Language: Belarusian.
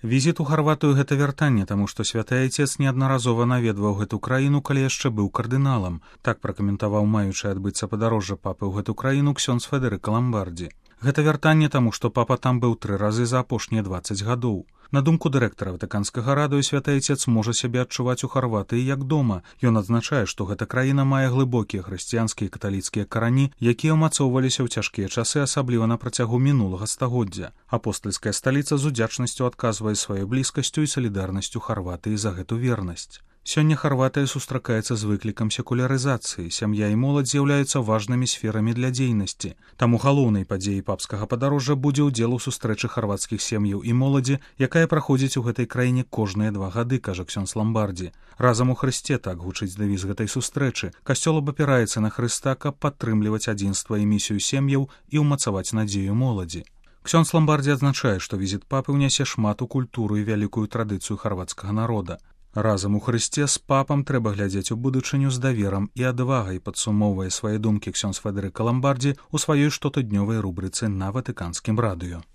Візіт у Харватыю гэта вяртанне, таму што святы айцец неаднаразова наведваў гэту краіну, калі яшчэ быў кардыналам. Так пракаментаваў маючы адбыцца падарожжа папы ў гэту краіну ксёндз Федэрыка Ламбардзі. Гэта вяртанне таму, што папа там быў 3 разы за апошнія 20 гадоў. На думку дырэктара Ватыканскага радыё, святы айцец можа сябе адчуваць у Харватыі як дома. Ён адзначае, што гэта краіна мае глыбокія хрысціянскія і каталіцкія карані, якія ўмацоўваліся ў цяжкія часы, асабліва на працягу мінулага стагоддзя. Апостальская сталіца з удзячнасцю адказвае сваёй блізкасцю і салідарнасцю Харватыі за гэту вернасць. Сёння Харватыя сустракаецца з выклікам секулярызацыі. Сям'я і моладзь з'яўляюцца важнымі сферамі для дзейнасці. Таму галоўнай падзеяй папскага падарожжа будзе ўдзел у сустрэчы харвацкіх сем'яў і моладзі, якая праходзіць у гэтай краіне кожныя 2 гады, кажа ксёндз Ламбардзі. Разам у Хрысце, так гучыць дэвіз гэтай сустрэчы. Касцёл абапіраецца на Хрыста, каб падтрымліваць адзінства і місію сем'яў і ўмацаваць надзею моладзі. Ксёндз Ламбардзі адзначае, што візіт папы ўнясе шмат у культуру і вялікую традыцыю харвацкага народа. Разам у Хрысце з папам трэба глядзець у будучыню з даверам і адвагай, падсумоўвае свае думкі ксёндз Федэрыка Ламбардзі ў сваёй штотыднёвай рубрыцы на Ватыканскім радыё.